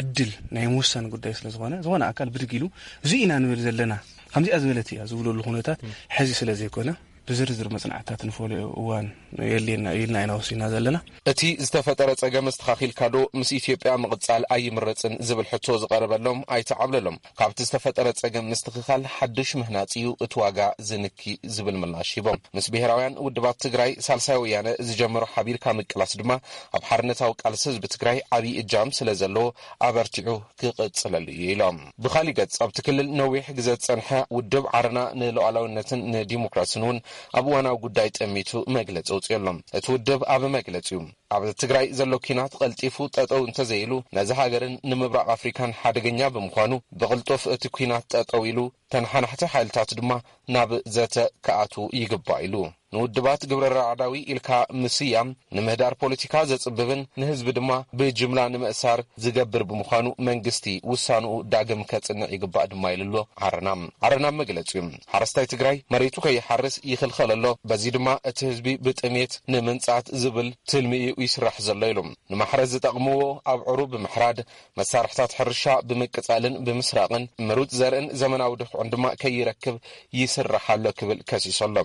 ዕድል ናይ ምውሳን ጉዳይ ስለ ዝኾነ፣ ዝኾነ ኣካል ብድግ ኢሉ እዚ ኢና ንብል ዘለና፣ ከምዚኣ ዝበለት እያ ዝብለሉ ኩነታት ሕዚ ስለ ዘይኮነ፣ ብዝርዝር መጽናዕትታት ንፈልዮ እዋን የድልየና ኢልና ኢና ወሲና ዘለና። እቲ ዝተፈጠረ ጸገም ኣስተኻኺልካ ዶ ምስ ኢትዮጵያ ምቕጻል ኣይምረጽን ዝብል ሕቶ ዝቐረበሎም ኣይተ ዓብለሎም፣ ካብቲ ዝተፈጠረ ጸገም ምስትኽኻል ሓድሽ ምህናጽ እዩ እቲ ዋጋ ዝንኪ ዝብል ምላሽ ሂቦም። ምስ ብሄራውያን ውድባት ትግራይ ሳልሳይ ወያነ ዝጀመሮ ሓቢርካ ምቅላስ ድማ ኣብ ሓርነታዊ ቃልሲ ህዝቢ ትግራይ ዓብዪ እጃም ስለ ዘለዎ ኣበርቲዑ ክቕጽለሉ እዩ ኢሎም። ብኻሊእ ገጽ፣ ኣብቲ ክልል ነዊሕ ግዘ ዝጸንሐ ውድብ ዓረና ንሉዓላዊነትን ንዲሞክራስን እውን ኣብ እዋናዊ ጉዳይ ጠሚቱ መግለጺ ኣውጺኡ ኣሎ። እቲ ውድብ ኣብ መግለጺኡ፣ ኣብ ትግራይ ዘሎ ኲናት ቀልጢፉ ጠጠው እንተዘይሉ፣ ነዚ ሃገርን ንምብራቕ ኣፍሪካን ሓደገኛ ብምዃኑ፣ ብቕልጡፍ እቲ ኲናት ጠጠው ኢሉ፣ ተነሓናሕቲ ሓይልታት ድማ ናብ ዘተ ክኣትዉ ይግባእ ኢሉ። ንውድባት ግብረ ራዕዳዊ ኢልካ ምስያም ንምህዳር ፖለቲካ ዘጽብብን ንህዝቢ ድማ ብጅምላ ንምእሳር ዝገብር ብምዃኑ መንግስቲ ውሳንኡ ዳግም ከጽንዕ ይግባእ ድማ ኢሉ ኣሎ ዓረና። ዓረና መግለጺኡ ሓረስታይ ትግራይ መሬቱ ከይሓርስ ይኽልኸል ኣሎ። በዚ ድማ እቲ ህዝቢ ብጥሜት ንምንጻት ዝብል ትልሚ እዩ ይስራሕ ዘሎ ኢሉ። ንማሕረስ ዝጠቕምዎ ኣብዕሩ ብምሕራድ መሳርሕታት ሕርሻ ብምቅጻልን ብምስራቕን ምሩጽ ዘርእን ዘመናዊ ድኹዕን ድማ ከይረክብ ይስራሕ ኣሎ ክብል ከሲሱ ኣሎ።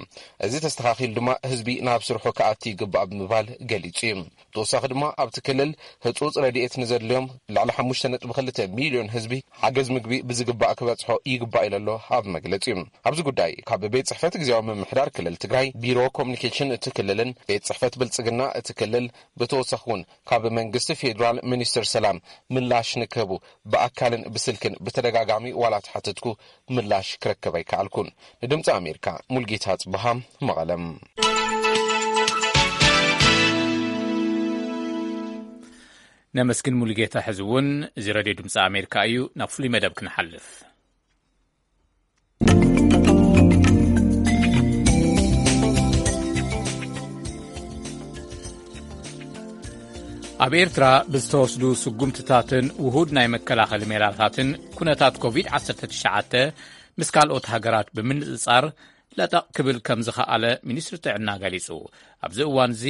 እዚ ተስተኻኺሉ ድማ ህዝቢ ናብ ስርሑ ክኣቱ ይግባእ ብምባል ገሊጹ እዩ። ብተወሳኺ ድማ ኣብቲ ክልል ህጹጽ ረድኤት ንዘድልዮም ልዕሊ ሓሙሽተ ነጥቢ ክልተ ሚልዮን ህዝቢ ሓገዝ ምግቢ ብዝግባእ ክበጽሖ ይግባእ ኢሉ ኣሎ ኣብ መግለጺኡ። ኣብዚ ጉዳይ ካብ ቤት ጽሕፈት ግዜያዊ ምምሕዳር ክልል ትግራይ፣ ቢሮ ኮሚኒኬሽን እቲ ክልልን ቤት ጽሕፈት ብልጽግና እቲ ክልል ብተወሳኺ እውን ካብ መንግስቲ ፌዴራል ሚኒስትር ሰላም ምላሽ ንክህቡ ብኣካልን ብስልክን ብተደጋጋሚ ዋላ ተሓተትኩ ምላሽ ክረክብ ኣይከኣልኩን። ንድምፂ ኣሜሪካ ሙልጌታ ጽበሃ መቐለም። ነመስግን ሙሉጌታ። ሕዚ እውን እዚ ረድዮ ድምፂ ኣሜሪካ እዩ። ናብ ፍሉይ መደብ ክንሓልፍ። ኣብ ኤርትራ ብዝተወስዱ ስጉምትታትን ውሁድ ናይ መከላኸሊ ሜላታትን ኩነታት ኮቪድ ዓሰርተ ትሽዓተ ምስ ካልኦት ሃገራት ብምንጽጻር ለጠቕ ክብል ከም ዝኸኣለ ሚኒስትሪ ጥዕና ገሊጹ። ኣብዚ እዋን እዚ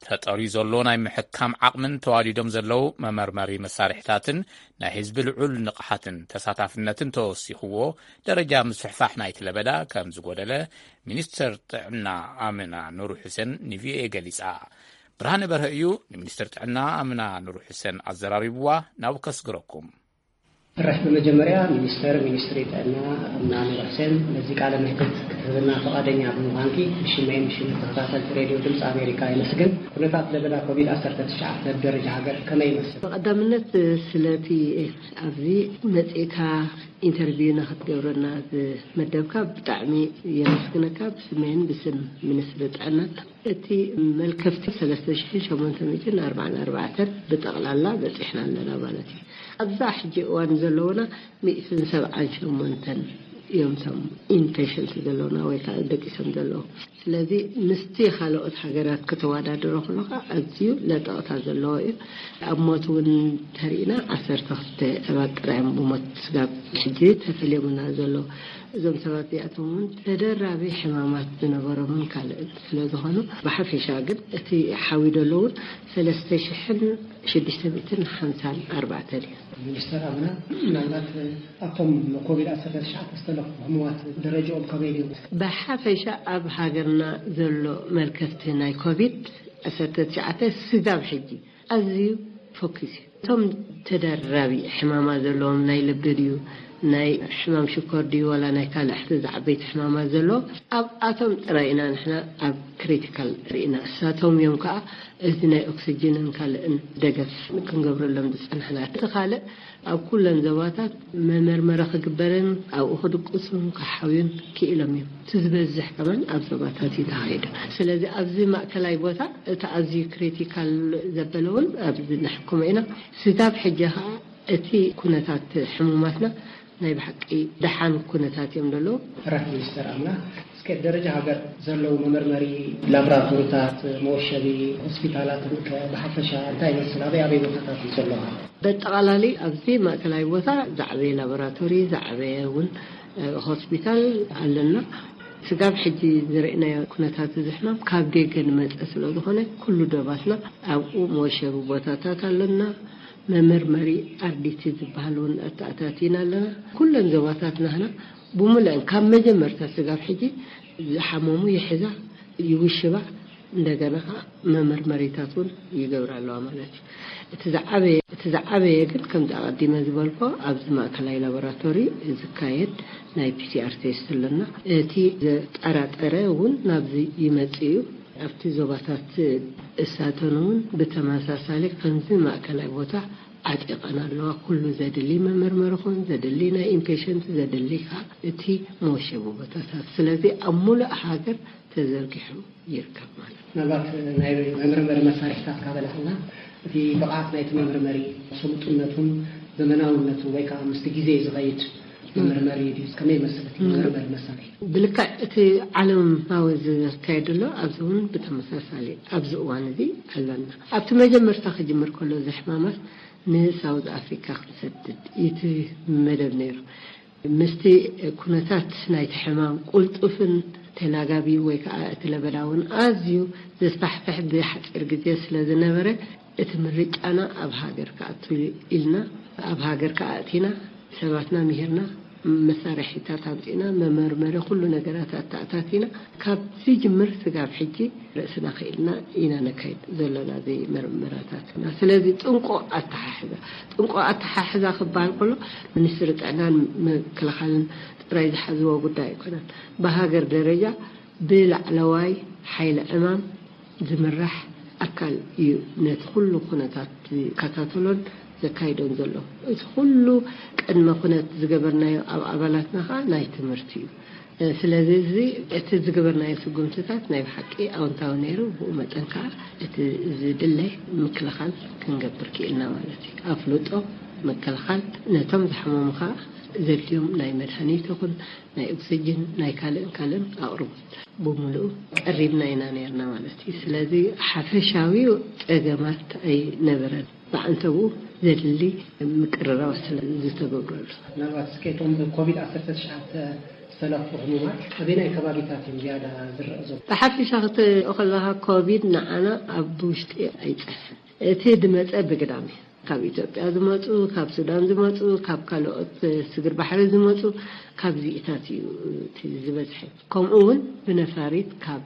ተጠርዩ ዘሎ ናይ ምሕካም ዓቕምን ተዋዲዶም ዘለዉ መመርመሪ መሳርሒታትን ናይ ህዝቢ ልዑል ንቕሓትን ተሳታፍነትን ተወሲኽዎ ደረጃ ምስፍሕፋሕ ናይቲ ለበዳ ከም ዝጎደለ ሚኒስትር ጥዕና ኣምና ኑሩ ሑሴን ንቪኦኤ ገሊጻ። ብርሃነ በርሀ እዩ ንሚኒስትር ጥዕና ኣምና ኑሩ ሑሴን ኣዘራሪብዋ። ናብኡ ከስግረኩም። እረፍ፣ ብመጀመርያ ሚኒስተር ሚኒስትሪ ጥዕና ኣምና ኑሩ ሑሴን ነዚ ቃለ መሕትት ክትህብና ፈቓደኛ ብምዃንኪ ብሽመይን ብሽም ተኸታተልቲ ሬድዮ ድምፂ ኣሜሪካ የመስግን። ኩነታት ለበዳ ኮቪድ ዓሰርተ ትሽዓተ ብደረጃ ሃገር ከመይ ይመስል? ብቐዳምነት ስለቲ ኣብዚ መጺእካ ኢንተርቪው ንኽትገብረና ዝመደብካ ብጣዕሚ የመስግነካ ብስመይን ብስም ሚኒስትሪ ጥዕና። እቲ መልከፍቲ ሰለስተ ሽሕን ሸሞንተ ሚእትን ኣርባዓን ኣርባዕተን ብጠቕላላ በጺሕና ኣለና ማለት እዩ። ኣብዛ ሕጂ እዋን ዘለውና ሚእትን ሰብዓን ሸሞንተን እዮም እቶም ኢንፔሸንት ዘለውና ወይ ከዓ ደቂሶም ዘለዉ። ስለዚ ምስቲ ካልኦት ሃገራት ከተወዳድሮ ከለኻ ኣዝዩ ለጠቕታ ዘለዎ እዩ። ኣብ ሞት እውን ተሪእና ዓሰርተ ክልተ ሰባት ጥራይ እዮም ብሞት ስጋብ ሕጂ ተፈልዮምና ዘለዉ። እዞም ሰባት እዚኣቶም እውን ተደራቢ ሕማማት ዝነበሮምን ካልእን ስለ ዝኾኑ ብሓፈሻ ግን እቲ ሓዊ ደሎ እውን ሰለስተ ሽሕን ሽዱሽተ ሚእትን ሓምሳን ኣርባዕተን እዩ። ሚኒስተር ኣምና፣ ምናልባት ኣብቶም ኮቪድ ዓሰርተ ትሽዓተ ዝተለኽፉ ህሙማት ደረጃኦም ከመይ ድዩ? ብሓፈሻ ኣብ ሃገርና ዘሎ መልከፍቲ ናይ ኮቪድ ዓሰርተ ትሽዓተ ስጋብ ሕጂ ኣዝዩ ፎኪስ እዩ። እቶም ተደራቢ ሕማማ ዘለዎም ናይ ልቢ ድዩ፣ ናይ ሕማም ሽኮር ድዩ፣ ዋላ ናይ ካልእ ሕቲ ዝዓበይቲ ሕማማ ዘለዎ ኣብኣቶም ጥራይ ኢና ንሕና ኣብ ክሪቲካል ርኢና። እሳቶም እዮም ከዓ እዚ ናይ ኦክስጅንን ካልእን ደገፍ ክንገብረሎም ዝጸናሕና። እቲ ካልእ ኣብ ኩለን ዞባታት መመርመሪ ክግበርን ኣብኡ ክድቅሱን ክሓውዩን ክኢሎም እዮም። እቲ ዝበዝሕ ከማን ኣብ ዞባታት እዩ ተኻይዱ። ስለዚ ኣብዚ ማእከላይ ቦታ እቲ ኣዝዩ ክሪቲካል ዘበለ እውን ኣብዚ ነሕክሞ ኢና። ስጋብ ሕጂ ከዓ እቲ ኩነታት ሕሙማትና ናይ ብሓቂ ደሓን ኩነታት እዮም ዘለዉ። ሕራት ሚኒስተር ኣምና፣ እስከ ደረጃ ሃገር ዘለዉ መመርመሪ ላቦራቶሪታት፣ መወሸቢ ሆስፒታላትን ከ ብሓፈሻ እንታይ ይመስል? ኣበይ ኣበይ ቦታታት እዩ ዘለዋ? በጠቓላሊ ኣብዚ ማእከላይ ቦታ ዝዓበየ ላቦራቶሪ፣ ዝዓበየ እውን፣ እ፣ ሆስፒታል ኣለና። ስጋብ ሕጂ ዝረእናዮ ኩነታት እዚ ሕማም ካብ ደገ ንመጸ ስለ ዝኾነ ኩሉ ዶባትና ኣብኡ መወሸቢ ቦታታት ኣለና። መመርመሪ ኣርዲቲ ዝበሃል እውን ኣተኣታቲና ኣለና። ኩለን ዞባታት ናህና ብምሉአን ካብ መጀመርታ ስጋብ ሕጂ ዝሓመሙ ይሕዛ፣ ይውሽባ፣ እንደገና ከዓ መመርመሪታት እውን ይገብራ ኣለዋ ማለት እዩ። እቲ ዝዓበየ፣ እቲ ዝዓበየ ግን ከምዚ ኣቐዲመ ዝበልኮ ኣብዚ ማእከላይ ላቦራቶሪ ዝካየድ ናይ ፒሲኣር ቴስት ኣለና። እቲ ዘጠራጠረ እውን ናብዚ ይመጽእ እዩ። ኣብቲ ዞባታት እሳተን እውን ብተመሳሳሊ ከምዚ ማእከላይ ቦታ ዓጢቐን ኣለዋ። ኩሉ ዘድሊ መመርመሪ ኹን ዘድሊ ናይ ኢምፔሸንት ዘድሊ ከዓ እቲ መወሸቢ ቦታታት። ስለዚ ኣብ ሙሉእ ሃገር ተዘርጊሑ ይርከብ ማለት እዩ። ምናልባት ናይ መመርመሪ መሳርሒታት ካበላዕና እቲ ብቕዓት ናይቲ መመርመሪ ስሉጥነቱን ዘመናውነቱን ወይ ከዓ ምስቲ ግዜ ዝኸይድ መመርመሪ ድዩ? ከመይ ይመስል እቲ መመርመሪ መሳርሒ? ብልክዕ እቲ ዓለማዊ ዝካየድ ኣሎ፣ ኣብዚ እውን ብተመሳሳሊ ኣብዚ እዋን እዚ ኣለና። ኣብቲ መጀመርታ ክጅምር ከሎ እዚ ሕማማት ንሳውዝ ኣፍሪካ ክንሰድድ እዩ እቲ መደብ ነይሩ። ምስቲ ኩነታት ናይቲ ሕማም ቁልጡፍን ተላጋቢ ወይ ከዓ እቲ ለበዳ እውን ኣዝዩ ዘስፋሕፍሕ ብሓፂር ግዜ ስለ ዝነበረ እቲ ምርጫና ኣብ ሃገር ክኣቱ ኢልና ኣብ ሃገር ክኣቲና ሰባትና ምሂርና መሳርሒታት ኣምፂና መመርመሪ ኩሉ ነገራት ኣተኣታቲና ካብ ዝጅምር ስጋብ ሕጂ ርእስና ክኢልና ኢና ነካይድ ዘለና እዚ መርመራታት። ስለዚ ጥንቁቕ ኣተሓሕዛ ጥንቁቕ ኣተሓሕዛ ክበሃል ከሎ ሚኒስትሪ ጥዕናን ምክልኻልን ጥራይ ዝሓዝዎ ጉዳይ ኣይኮነን። ብሃገር ደረጃ ብላዕለዋይ ሓይሊ ዕማም ዝምራሕ ኣካል እዩ ነቲ ኩሉ ኩነታት ዝከታተሎን ዘካይዶን ዘሎ። እቲ ኩሉ ቅድመ ኩነት ዝገበርናዮ ኣብ ኣባላትና ከዓ ናይ ትምህርቲ እዩ። ስለዚ እዚ እቲ ዝገበርናዮ ስጉምትታት ናይ ብሓቂ ኣወንታዊ ነይሩ። ብኡ መጠን ከዓ እቲ ዝድለ ምክልኻል ክንገብር ክኢልና ማለት እዩ። ኣፍልጦ ምክልኻል ነቶም ዝሓመሙ ከዓ ዘድልዮም ናይ መድሃኒት ይኹን ናይ ኦክሲጅን ናይ ካልእን ካልእን ኣቕርቦት ብምሉኡ ቀሪብና ኢና ነርና ማለት እዩ። ስለዚ ሓፈሻዊ ፀገማት ኣይነበረን። ብዓንተብኡ ዘድሊ ምቅርራብ ስለ ዝተገብረሉ። ምናልባት እስከ እቶም ብኮቪድ ዓሰርተ ትሽዓተ ዝተለኽፉ ህሙማት ኣበየናይ ከባቢታት እዮም ዝያዳ ዝረአ ዘሎ? ብሓፈሻ ክትሪኦ ከለካ ኮቪድ ንዓና ኣብ ውሽጢ ኣይፀንሐን። እቲ ድመፀ ብግዳም እዩ። ካብ ኢትዮጵያ ዝመፁ፣ ካብ ሱዳን ዝመፁ፣ ካብ ካልኦት ስግር ባሕሪ ዝመፁ፣ ካብዚኢታት እዩ እቲ ዝበዝሐ። ከምኡ እውን ብነፋሪት ካብ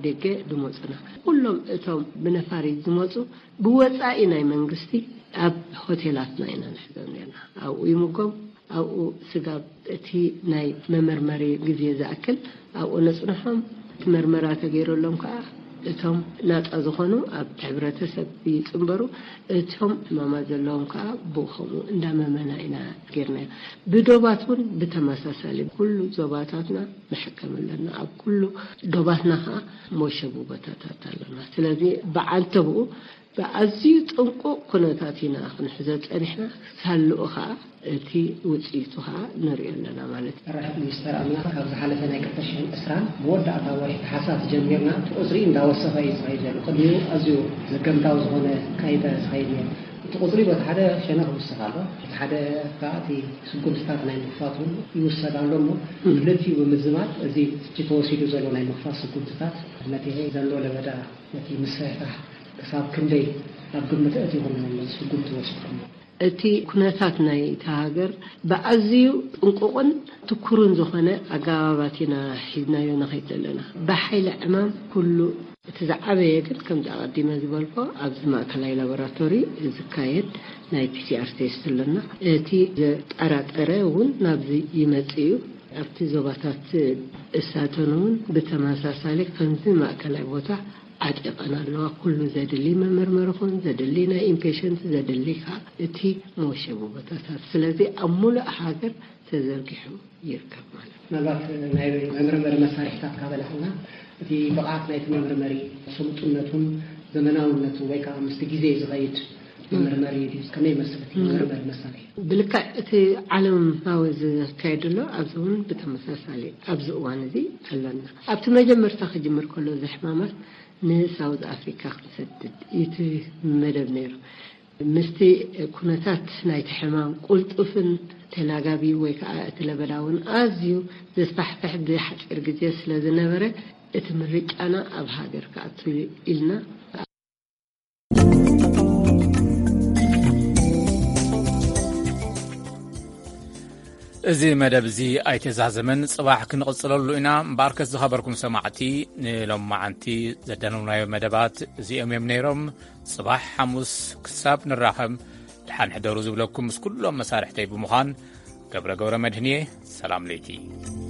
ደገ ዝመፁና ኩሎም እቶም ብነፋሪት ዝመፁ ብወፃኢ ናይ መንግስቲ ኣብ ሆቴላትና ኢና ንሕዞም ነርና። ኣብኡ ይምጎም ኣብኡ ስጋብ እቲ ናይ መመርመሪ ግዜ ዝኣክል ኣብኡ ነፅንሖም። እቲ መርመራ ተገይረሎም ከዓ እቶም ናፃ ዝኾኑ ኣብ ሕብረተሰብ ይፅንበሩ። እቶም ሕማማት ዘለዎም ከዓ ብኡ ከምኡ እንዳመመና ኢና ጌርናዮ። ብዶባት እውን ብተመሳሳሊ ኩሉ ዞባታትና ንሕከም ኣለና። ኣብ ኩሉ ዶባትና ከዓ መሸቡ ቦታታት ኣለና። ስለዚ ብዓንተብኡ ብኣዝዩ ጥንቁቕ ኩነታት ኢና ክንሕዞ ፀኒሕና። ሳልኡ ከዓ እቲ ውፅኢቱ ከዓ ንሪኦ ኣለና ማለት እዩ። ራሕት ሚኒስተር ኣምና ካብ ዝሓለፈ ናይ ክልተ ሽሕን ዕስራን መወዳእታ ወርሒ ተሓሳስ ጀሚርና እቲ ቁፅሪ እንዳወሰኸ እዩ ዝኸይድ ዘሎ። ቅድሚኡ ኣዝዩ ዘገምታዊ ዝኾነ ካይታ ዝኸይድ ነይሩ። እቲ ቁፅሪ በቲ ሓደ ሸነኽ ይውስኽ ኣሎ፣ በቲ ሓደ ከዓ እቲ ስጉምትታት ናይ ምኽፋት እውን ይውሰድ ኣሎ እሞ ክልቲኡ ብምዝማድ እዚ ሕጂ ተወሲዱ ዘሎ ናይ ምኽፋት ስጉምትታት ነቲ ዘሎ ለበዳ ነቲ ምስሕሕሕ ክሳብ ክንደይ ኣብ ግምት ኣእቲኹም ስጉምቲ ወሲድኩም? እቲ ኩነታት ናይቲ ሃገር ብኣዝዩ ጥንቁቕን ትኩርን ዝኾነ ኣገባባት ኢና ሒዝናዮ ንኸይድ ዘለና። ብሓይሊ ዕማም ኩሉ እቲ ዝዓበየ ግን ከምዚ ኣቐዲመ ዝበልኮ ኣብዚ ማእከላይ ላቦራቶሪ ዝካየድ ናይ ፒሲኣር ቴስት ኣለና። እቲ ዘጠራጠረ እውን ናብዚ ይመጽእ እዩ። ኣብቲ ዞባታት እሳተን እውን ብተመሳሳሊ ከምዚ ማእከላይ ቦታ ዓጢቐን ኣለዋ። ኩሉ ዘድሊ መመርመሪ ኹን ዘድሊ ናይ ኢምፔሽንት ዘድሊ ከዓ እቲ መወሸቢ ቦታታት ስለዚ ኣብ ሙሉእ ሃገር ተዘርጊሑ ይርከብ ማለት እዩ። ምናልባት ናይ መመርመሪ መሳርሒታት ካበላህና እቲ ብቕዓት ናይቲ መመርመሪ ስልጡነቱን ዘመናውነቱ ወይ ከዓ ምስቲ ግዜ ዝኸይድ መመርመሪ ድዩ? ከመይ ይመስል እቲ መመርመሪ መሳርሒ? ብልክዕ እቲ ዓለማዊ ዝካየድ ኣሎ ኣብዚ እውን ብተመሳሳሊ ኣብዚ እዋን እዚ ኣለና። ኣብቲ መጀመርታ ክጅምር ከሎ እዚ ሕማማት ንሳውዝ ኣፍሪካ ክንሰድድ እቲ መደብ ነይሩ። ምስቲ ኩነታት ናይቲ ሕማም ቁልጡፍን ተላጋቢ ወይ ከዓ እቲ ለበዳ እውን ኣዝዩ ዘስፋሕፍሕ ብሓፂር ግዜ ስለ ዝነበረ እቲ ምርጫና ኣብ ሃገር ክኣቱ ኢልና እዚ መደብ እዚ ኣይተዛዘመን፣ ጽባሕ ክንቕጽለሉ ኢና። እምበኣርከስ ዝኸበርኩም ሰማዕቲ፣ ንሎማዓንቲ ዘዳለውናዮ መደባት እዚኦም እዮም ነይሮም። ጽባሕ ሓሙስ ክሳብ ንራኸብ ደሓን ሕደሩ ዝብለኩም ምስ ኩሎም መሳርሕተይ ብምዃን ገብረ ገብረ መድህንየ ሰላም ለይቲ።